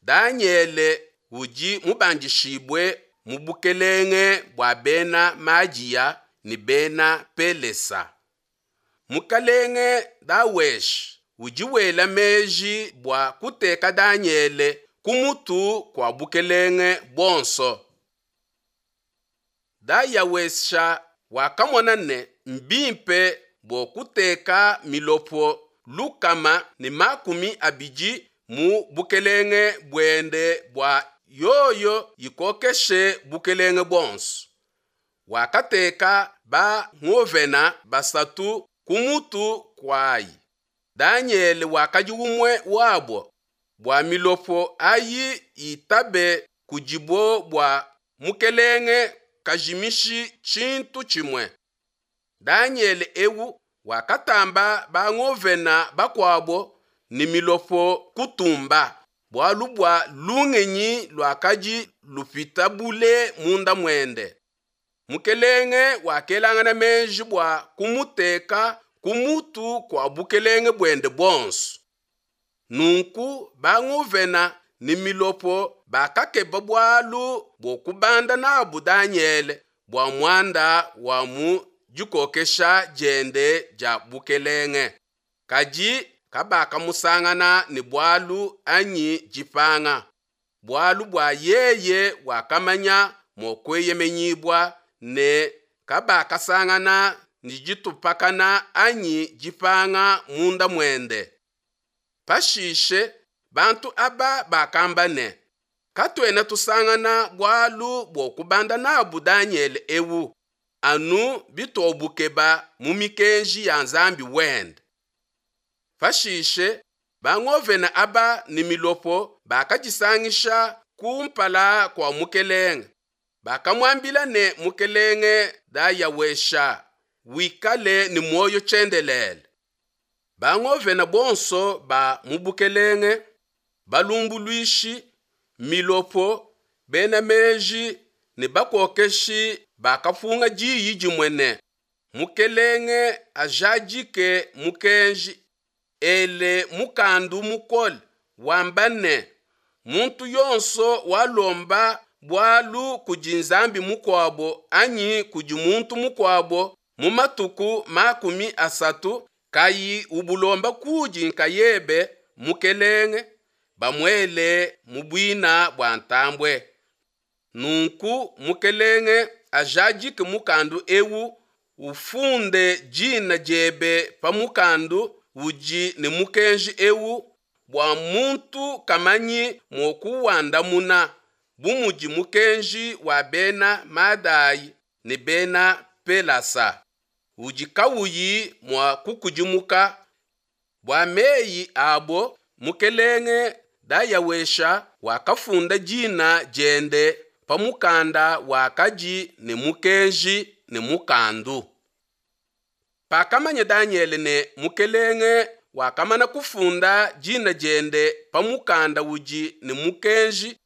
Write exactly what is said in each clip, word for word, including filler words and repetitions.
Danyele udi mubandishibue mu bukelenge bua Bena Madiya ne Bena Pelesa. Mukelenge Dayawesha udi wela meji bua kuteka Danyele ku mutu kua bukelenge buonso. Dayawesha wakamona ne mbimpe bua kuteka milopo lukama ne makumi abidi mu bukelenge buende bua yoyo ikokeshe bukelenge buonso. Wakateka ba ngovena basatu ku mutu kuayi. Danyele wakadi umue wabo, bua milopo ayi itabe kudibo bua mukelenge kajimishi tshintu tshimue. Danyele eu wakatamba bangovena bakuabo ne milopo kutumba, bualu bua lungenyi luakadi lupita bule munda muende. Mukelenge wakelangana meji bua kumuteka ku mutu kua bukelenge buende buonso. Nunku bangovena ne milopo bakakeba bualu bua kubanda nabu Danyele bua muanda wa mu dikokesha diende dia bukelenge, kadi kabakamusangana ne bualu anyi dipanga, bualu bua yeye wakamanya mua kueyemenyibua ne kabakasangana ne ditupakana anyi dipanga munda muende. Pashishe bantu aba bakamba ne, Katuena tusangana bualu bua kubanda nabu Danyele eu, anu bituabukeba mu mikenji ya Nzambi wende. Pashishe bangovena aba ne milopo bakadisangisha kumpala kua mukelenge. Bakamuambila ne, Mukelenge Dayawesha, wikale ne muoyo tshiendelele. Bangovena bonso ba mu bukelenge, balumbuluishi, milopo, bena meji ne bakokeshi bakapunga diyi dimue ne, Mukelenge ajadike mukenji, ele mukandu mukole, wamba ne, muntu yonso walomba bualu kudi nzambi mukuabo anyi kudi muntu mukuabo mu matuku makumi asatu kayi ubulomba kudi nkayebe mukelenge, bamuele mu buina bua ntambue. Nunku mukelenge ajadike mukandu eu, ufunde dina diebe pa mukandu udi ne mukenji eu, bua muntu kamanyi mua kuwandamuna, bu mudi mukenji wa bena Madai ne bena Pelasa, udi kauyi mua kukudimuka. Bua meyi abo mukelenge Dayawesha wakafunda dina diende pa mukanda wakadi ne mukenji ne mukandu. Pakamanya Danyele ne mukelenge wakamana kufunda dina diende pa mukanda udi ne mukenji,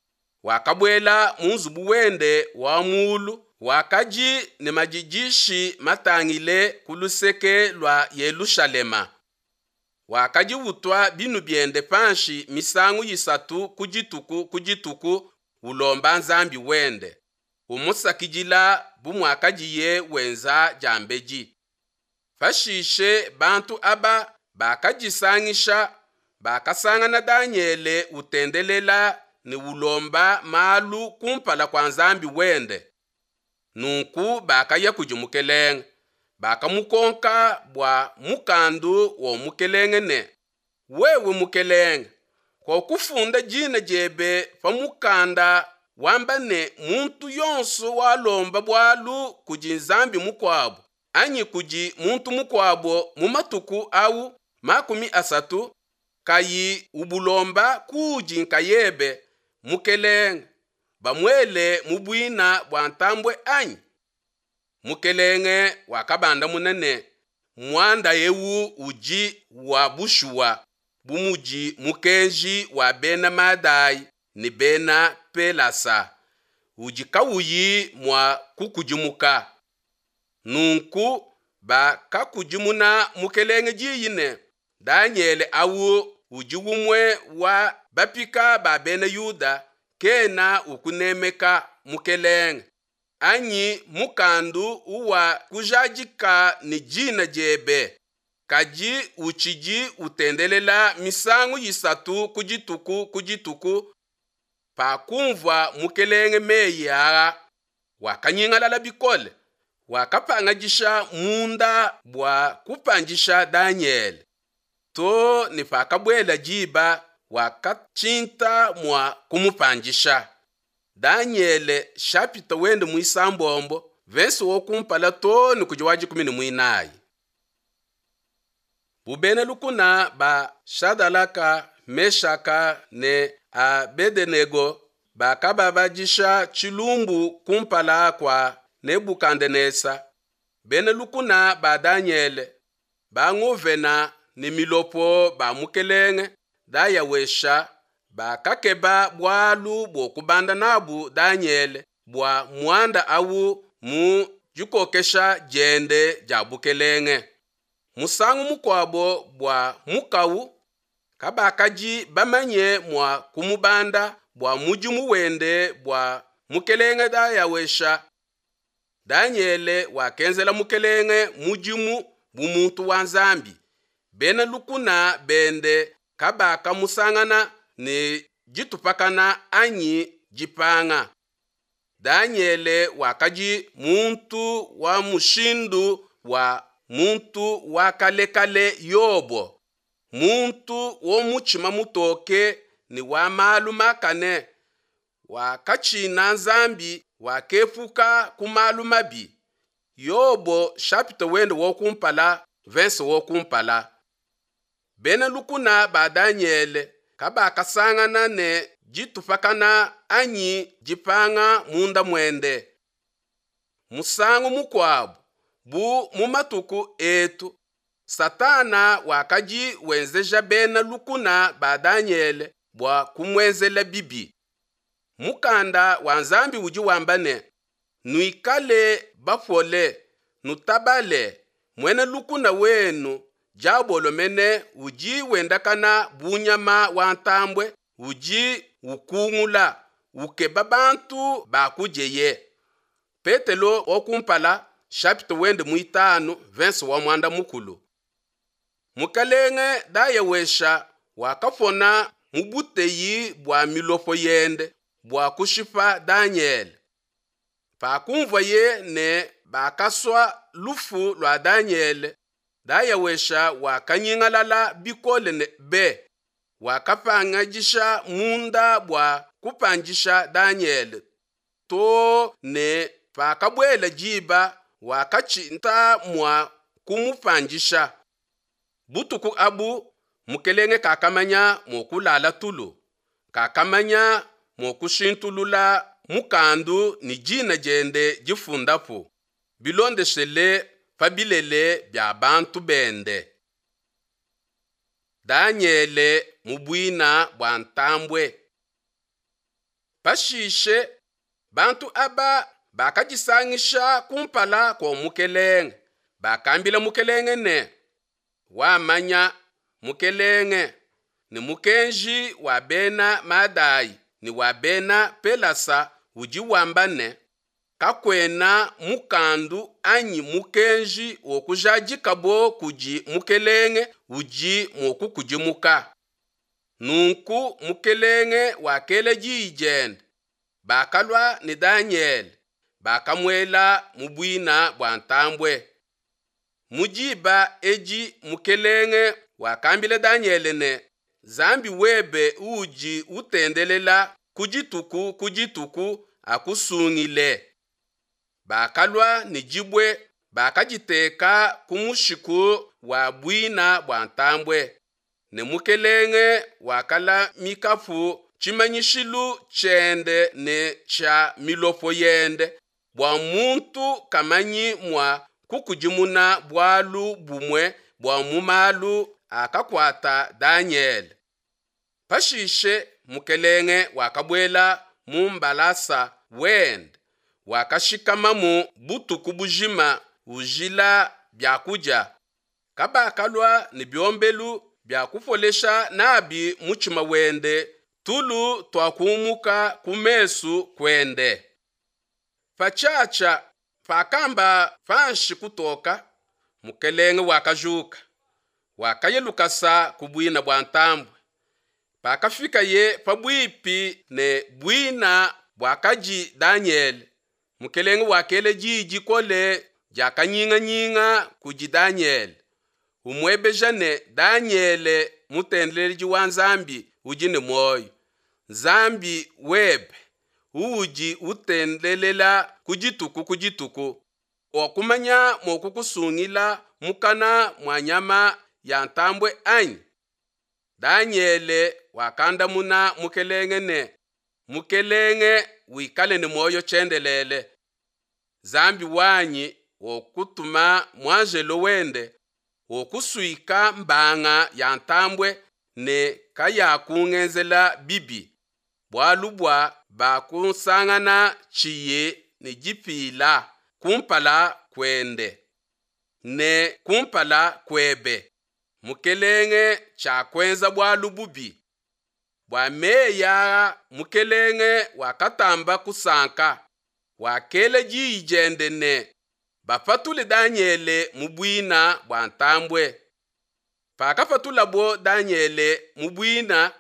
wakabuela mu nzubu wende wa mulu wakadi ne madidishi matangile ku luseke lua Yelushalema. Wakadi utua binu biende panshi misangu isatu ku dituku ku dituku, ulomba Nzambi wende, umusakidila bu muakadiye wenza diambedi. Pashishe bantu aba bakadisangisha, bakasangana Danyele utendelela ne ulomba malu kumpala kua Nzambi wende. Nunku bakaya kudi mukelenge, bakamukonka bua mukandu wa mukelenge ne, Wewe mukelenge, wakufunda dina diebe pa mukanda wamba ne, muntu yonso walomba bualu kudi nzambi mukuabo anyi kudi muntu mukuabo mu matuku au makumi asatu kayi ubulomba kudi nkayebe mukelenge, bamuele mu buina bua ntambue anyi? Mukelenge wakabandamuna ne, muanda eu udi wa bushuwa, bu mudi mukenji wa bena Madai ne bena Pelasa, udi kauyi mua kukudimuka. Nunku bakakudimuna mukelenge diyi ne, Danyele au udi umue wa bapika ba bena Yuda kena ukunemeka mukelenge, anyi mukandu uwa kujadika ne dina diebe, kadi utshidi utendelela misangu isatu ku dituku ku dituku. Pakumvua mukelenge meyi aa, wakanyingalala bikole, wakapangadisha munda bua kupandisha Danyele. Too ne pakabuela diba wakatshinta mua kumupandisha. Danyele chapitre wende muisambombo verse wa kumpala too ne kudi wa dikumi ne muinayi. Bu bena lukuna ba Shadalaka, Meshaka ne Abedenego bakababadisha tshilumbu kumpala kua Nebukadnesa, bena lukuna ba Danyele, bangovena ne milopo ba mukelenge Dayawesha bakakeba bualu bua kubanda nabu Danyele bua muanda awu mu dikokesha diende dia bukelenge. Musangu mukuabo bua mukawu, kabakadi bamanye mua kumubanda bua mudimu wende bua mukelenge Dayawesha. Danyele wakenzela mukelenge mudimu bu muntu wa Nzambi. Bena lukuna bende kabakamusangana ne ditupakana anyi dipanga. Danyele wakadi muntu wa mushindu wa muntu wa kale kale Yobo, muntu wa mutshima mutoke ne wa malu makane, wakatshina Nzambi, wakepuka ku malu mabi. Yobo chapitre wende wa kumpala verse wa kumpala. Bena lukuna ba Danyele kabakasangana ne ditupakana anyi dipanga munda muende. Musangu mukuabu, bu mu matuku etu, Satana wakadi wenzeja bena lukuna ba Danyele bua kumuenzela bibi. Mukanda wa Nzambi udi wamba ne, nuikale bapole, nutabale, muena lukuna wenu diabolo mene udi wendakana bu nyama wa ntambue udi ukungula, ukeba bantu ba kudieye. Petelo wa kumpala chapitre wende muitanu verse wa muanda mukulu. Mukelenge Dayawesha wakapona mu buteyi bua milopo yende bua kushipa Danyele. Pakumvuaye ne bakasua lufu lua Danyele, Dayawesha wakanyingalala bikole ne be, wakapangadisha munda bua kupandisha Danyele. Too ne pakabuela diba wakatshinta mua kumupandisha. Butuku abu mukelenge kakamanya mua kulala tulu, kakamanya mua kushintulula mukandu ne dina diende difundapu, bilondeshele pa bilele bia bantu bende. Danyele mu buina bua ntambue. Pashishe bantu aba bakadisangisha kumpala kua mukelenge, bakambila mukelenge ne, wamanya mukelenge ne mukenji wa bena Madai ne wa bena Pelasa udi wamba ne, kakuena mukandu anyi mukenji wa kujadikabo kudi mukelenge udi mua kukudimuka. Nunku mukelenge wakela diyi diende, bakalua ne Danyele, bakamuela mu buina bua ntambue. Mu diba edi mukelenge wakambila Danyele ne, Nzambi webe uudi utendelela ku dituku ku dituku akusungile. Bakalua ne dibue, bakaditeka ku mushiku wa buina bua ntambue, ne mukelenge wakalamikapu tshimanyishilu tshiende ne tshia milopo yende, bua muntu kamanyi mua kukudimuna bualu bumue bua mu malu akakuata Danyele. Pashishe mukelenge wakabuela mu mbalasa wende, wakashikamamu butuku bujima ujila biakudia. Kabakalua ne biombelu bia kupolesha nabi mutshima wende Tulu tuakumuka ku mesu kuende. Patshiatshia pakamba panshi kutoka, mukelenge wakajuka, wakaya lukasa ku buina bua ntambue. Pakafikaye pabuipi ne buina buakadi Danyele, mukelenge wakela diyi dikole dia kanyinganyinga kudi Danyele, umuebeja ne, Danyele mutendeledi wa Nzambi udi ne muoyo, Nzambi webe uudi utendelela ku dituku ku dituku, wakumanya mua kukusungila mukana mua nyama ya ntambue anyi? Danyele wakandamuna mukelenge ne, Mukelenge wikale ne muoyo tshiendelele. Nzambi wanyi wakutuma muanjelo wende, wakusuika mbanga ya ntambue ne kayakungenzela bibi, bualu bua bakunsangana tshiyi ne dipila kumpala kuende ne kumpala kuebe, mukelenge, tshiakuenza bualu bubi. Bua meyi aa mukelenge wakatamba kusanka, wakela diyi diende ne, bapatule Danyele mu buina bua ntambue. Pakapatulabo Danyele mu buina,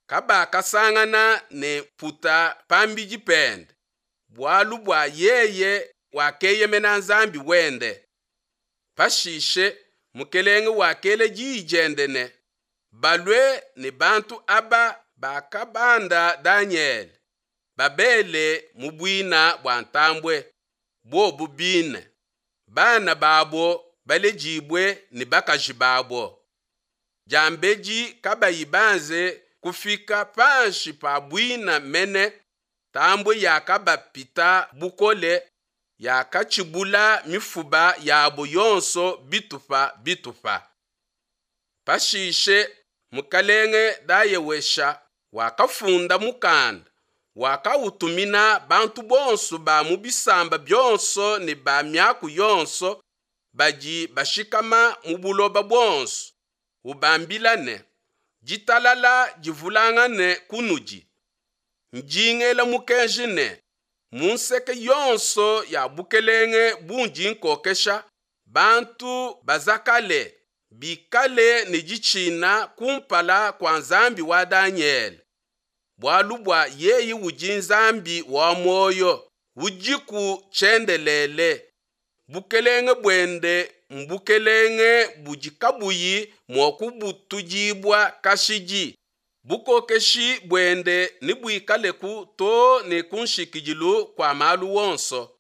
kabakasangana ne mputa pambidi pende, bualu bua yeye wakeyemena Nzambi wende. Pashishe mukelenge wakela diyi diende ne, balue ne bantu aba bakabanda Danyele, babele mu buina bua ntambue, bobu bine, bana babo baledibue ne bakaji babo. Diambedi kabayi banze kufika panshi pa buina mene, ntambue yakabapita bukole, yakatshibula mifuba yabo yonso bitupa bitupa. Pashishe mukalenge Dayawesha wakafunda mukanda, wakautumina bantu bonso ba mu bisamba bionso ne ba miaku yonso badi bashikama mu buloba buonso, ubambila ne, Ditalala divulangane kunudi. Ndi ngela mukenji ne, mu nseke yonso ya bukelenge bundi nkokesha, bantu bazakale, bikale ne ditshina kumpala kua Nzambi wa Danyele. Bualu bua yeye udi Nzambi wa muoyo, udiku tshiendelele. Bukelenge buende mbukelenge budi kabuyi mua kubutudibua kashidi. Bukokeshi buende nebuikaleku too ne ku nshikidilu kua malu onso.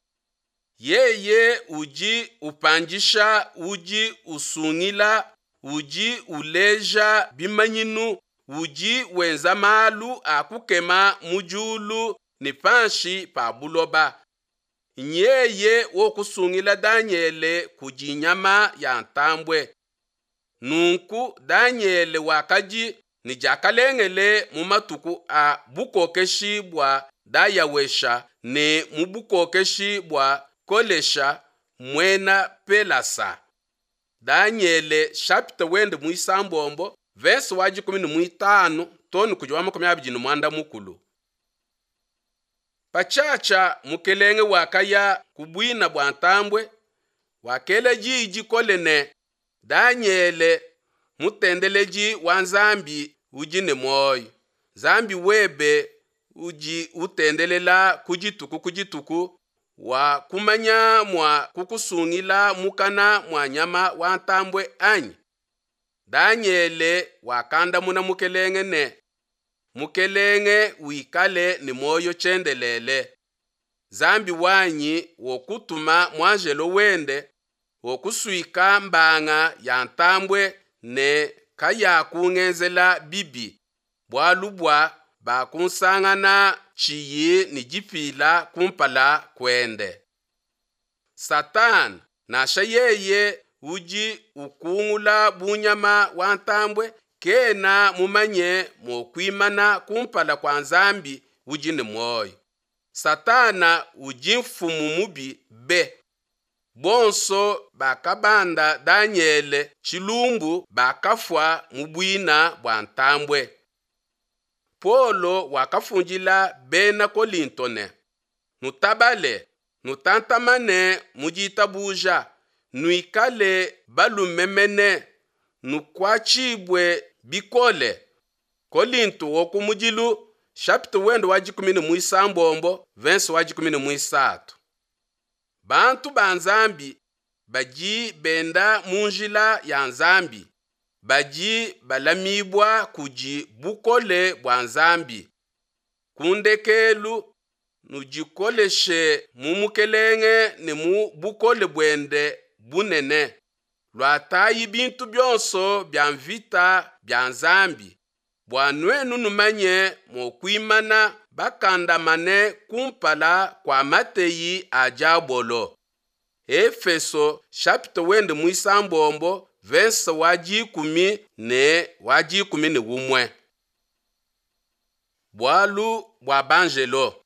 Yeye udi upandisha, udi usungila, udi uleja bimanyinu, udi wenza malu a kukema mu diulu ne panshi pa buloba. Nyeye wokusungila Danyele kudi nyama ya ntambue. Nunku Danyele wakadi ne diakalengele mu matuku a bukokeshi bua Dayawesha ne mu bukokeshi bua Kolesha muena Pelasa. Danyele chapitre wende muisambombo verse wa dikumi ne muitanu too ne kudi wa makumi abidi ne muanda mukulu. Patshiatshia mukelenge wakaya ku buina bua ntambue, wakela diyi dikole ne, Danyele mutendeledi wa Nzambi udi ne muoyo, Nzambi webe udi utendelela ku dituku ku dituku, wakumanya mua kukusungila mukana mua nyama wa ntambue anyi? Danyele wakandamuna mukelenge ne, Mukelenge wikale ne muoyo tshiendelele. Nzambi wanyi wakutuma muanjelo wende, wakusuika mbanga ya ntambue ne kayakungenzela bibi, bualu bua bakunsangana tshiyi ne dipila kumpala kuende. Satana, nansha yeye udi ukungula bu nyama wa ntambue, kena mumanye mua kuimana kumpala kua Nzambi udi ne muoyo. Satana udi mfumu mubi be. Bonso bakabanda Danyele tshilumbu bakafua mu buina bua ntambue. Paulo wakafundila bena Kolinto ne, Nutabale, nutantamane mu ditabuja, nuikale balume mene, nukuatshibue bikole. Kolinto wa kumudilu chapitre wende wa dikumi ne muisambombo verse wa dikumi ne muisatu. Bantu ba Nzambi badi benda mu njila ya Nzambi badi balamibua kudi bukole bua Nzambi. Ku ndekelu nudikoleshe mu Mukelenge ne mu bukole buende bunene. Luatayi bintu bionso bia mvita bia Nzambi bua nuenu numanye mua kuimana bakandamane kumpala kua mateyi a diabolo. Efeso chapitre wende muisambombo verse wa dikumi ne wa dikumi ne umue. Bualu bua banjelo.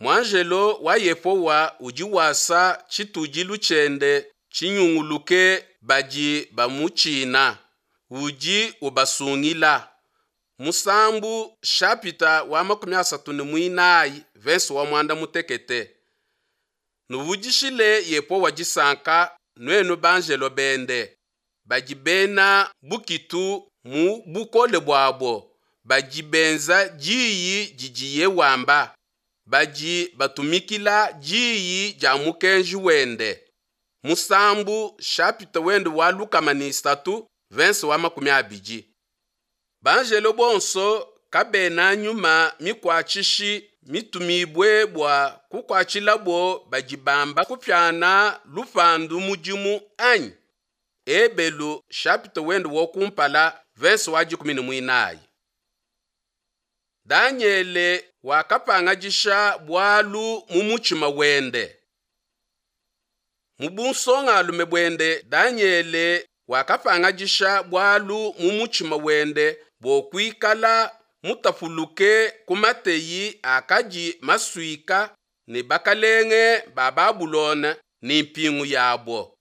Muanjelo wa Yehowa udi wasa tshitudilu tshiende tshinyunguluke badi bamutshina, udi ubasungila. Musambu chapitre wa makumi asatu ne muinayi verse wa muanda mutekete. Nuvudishile Yehowa disanka nuenu banjelo bende badi bena bukitu mu bukole buabo, badi benza diyi didiye wamba, badi batumikila diyi dia mukenji wende. Musambu chapitre wende wa lukama ne isatu verse wa makumi abidi. Banjelo bonso kabena nyuma mikuatshishi mitumibue bua kukuatshilabo badi bamba kupiana lupandu mudimu anyi? Ebelu chapitre wende wa kumpala verse wa dikumi ne muinayi. Danyele wakapangadisha bualu mu mutshima wende. Mu bunsongalume buende Danyele wakapangadisha bualu mu mutshima wende bua kuikala mutapuluke ku mateyi akadi masuika ne bakalenge ba Babulona ne mpingu yabo.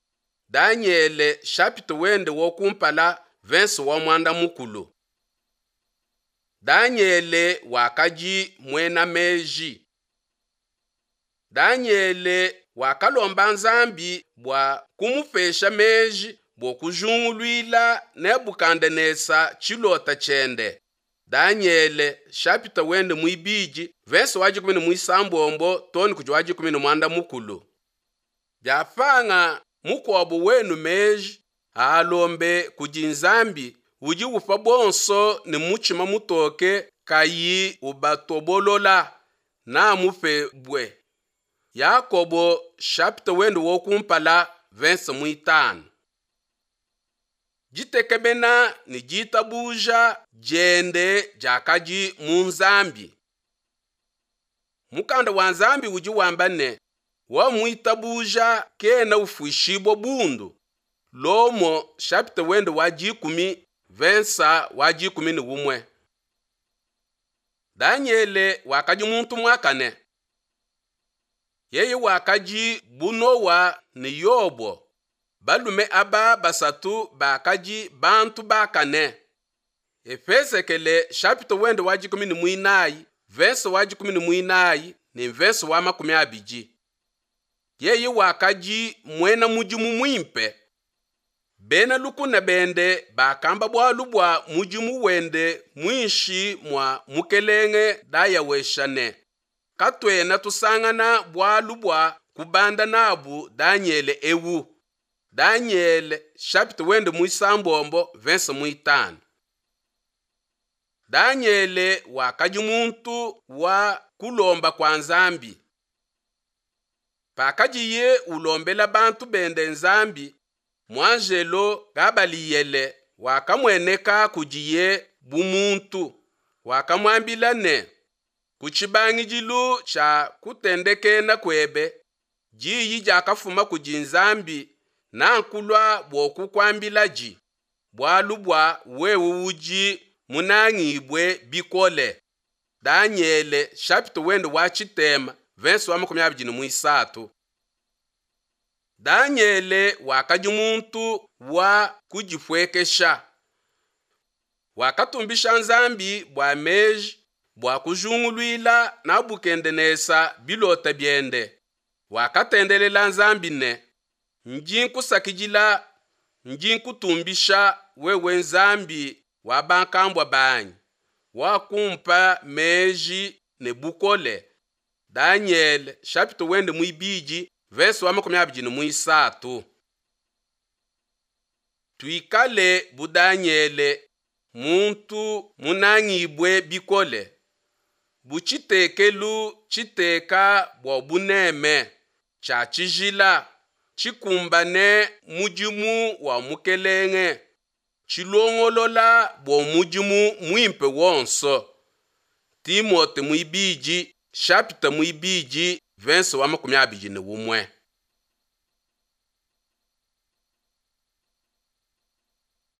Danyele chapitre wende wa kumpala verse wa muanda mukulu. Danyele wakadi muena meji. Danyele wakalomba Nzambi bua kumupesha meji bua kujunguluila Nebukadnesa tshilota tshiende. Danyele chapitre wende muibidi verse wa dikumi ne muisambombo too ne kudi wa dikumi ne muanda mukulu. Biapanga mukuabo wenu meji aalombe kudi Nzambi udi upa bonso ne mutshima mutoke kayi ubatobolola namupebue. Yakobo chapitre wende wa kumpala verse muitanu. Ditekemena ne ditabuja diende diakadi mu Nzambi. Mukanda wa Nzambi udi wamba ne, wamuitabuja kena ufuishibua bundu. Lomo chapitre wende wa dikumi verse wa dikumi ne umue. Danyele wakadi muntu muakane. Yeye wakadi bu Noa ne Yobo. Balume aba basatu bakadi bantu bakane. Efesekele chapitre wende wa dikumi ne muinayi verse wa dikumi ne muinayi ne verse wa makumi abidi. Yeye wakadi muena mudimu muimpe. Bena lukuna bende bakamba bualu bua mudimu wende muinshi mua mukelenge Dayawesha ne, katuena tusangana bualu bua kubanda nabu Danyele ewu. Danyele chapitre wende muisambombo verse muitanu. Danyele wakadi muntu wa kulomba kua Nzambi. Pakadiye ulombela bantu bende Nzambi, muanjelo Gabaliyele wakamueneka kudiye bu muntu, wakamuambila ne, ku tshibangidilu tshia kutendekena kuebe, diyi diakafuma kudi Nzambi nankulua bua kukuambiladi, bualu bua wewe udi munangibue bikole. Danyele chapitre wende wa tshitema verse wa makumi abidi ne muisatu. Danyele wakadi muntu wa kudipuekesha. Wakatumbisha Nzambi bua meji bua kujunguluila Nabukedenesa bilota biende. Wakatendelela Nzambi ne, Ndi nkusakidila, ndi nkutumbisha wewe Nzambi wa bankambua banyi, wakumpa meji ne bukole. Danyele chapitre wende muibidi verse wa makumi abidi ne muisatu. Tuikale bu Danyele, muntu munangibue bikole, bu tshitekelu tshiteka bua buneme, tshia tshijila, tshikumbane mudimu wa Mukelenge, tshilongolola bua mudimu muimpe wonso. Timote muibidi chapitre muibidi verse wa makumi abidi ne umue.